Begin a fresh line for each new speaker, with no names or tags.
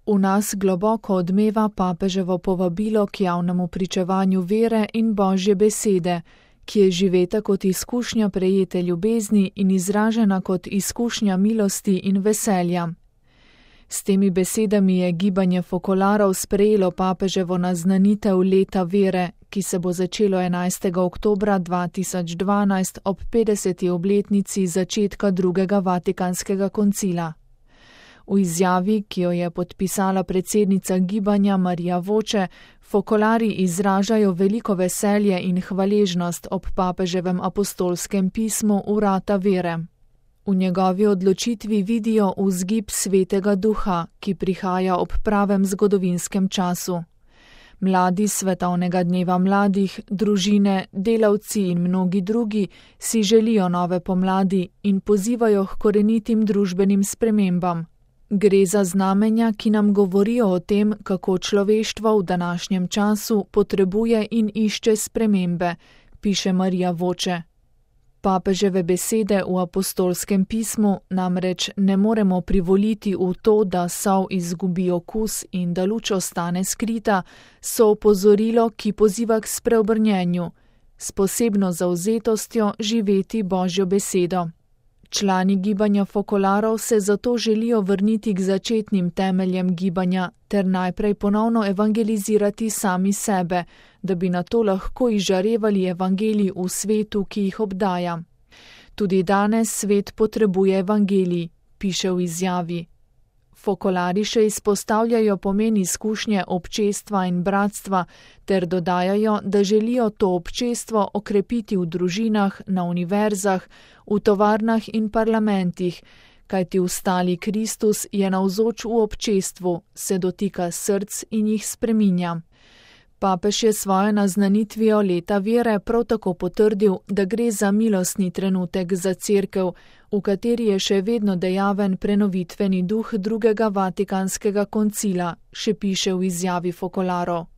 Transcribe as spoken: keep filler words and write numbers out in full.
V nas globoko odmeva papeževo povabilo k javnemu pričevanju vere in Božje besede, ki je živeta kot izkušnja prejete ljubezni in izražena kot izkušnja milosti in veselja. S temi besedami je gibanje Focolarov sprejelo papeževo naznanitev leta vere, ki se bo začelo enajstega oktobra dva tisoč dvanajst ob petdeseti obletnici začetka drugega vatikanskega koncila. V izjavi, ki jo je podpisala predsednica gibanja Marija Voce, Focolari izražajo veliko veselje in hvaležnost ob papeževem apostolskem pismu Vrata vere. V njegovi odločitvi vidijo vzgib Svetega Duha, ki prihaja ob pravem zgodovinskem času. Mladi svetovnega dneva mladih, družine, delavci in mnogi drugi si želijo nove pomladi in pozivajo k korenitim družbenim spremembam. Gre za znamenja, ki nam govorijo o tem, kako človeštvo v današnjem času potrebuje in išče spremembe, piše Marija Voce. Papeževe besede v apostolskem pismu namreč ne moremo privoliti v to, da sol izgubi okus in da luč ostane skrita, so opozorilo, ki poziva k spreobrnjenju, s posebno zavzetostjo živeti Božjo besedo. Člani gibanja Focolarov se zato želijo vrniti k začetnim temeljem gibanja ter najprej ponovno evangelizirati sami sebe, da bi nato lahko izžarevali evangelij v svetu, ki jih obdaja. Tudi danes svet potrebuje evangelij, piše v izjavi. Focolari še izpostavljajo pomen izkušnje občestva in bratstva ter dodajajo, da želijo to občestvo okrepiti v družinah, na univerzah, v tovarnah in parlamentih, kajti ustali Kristus je navzoč v občestvu, se dotika src in jih spreminja. Papež je svojo naznanitvijo leta vere prav tako potrdil, da gre za milostni trenutek za Cerkev, v kateri je še vedno dejaven prenovitveni duh drugega vatikanskega koncila, še piše v izjavi Focolarov.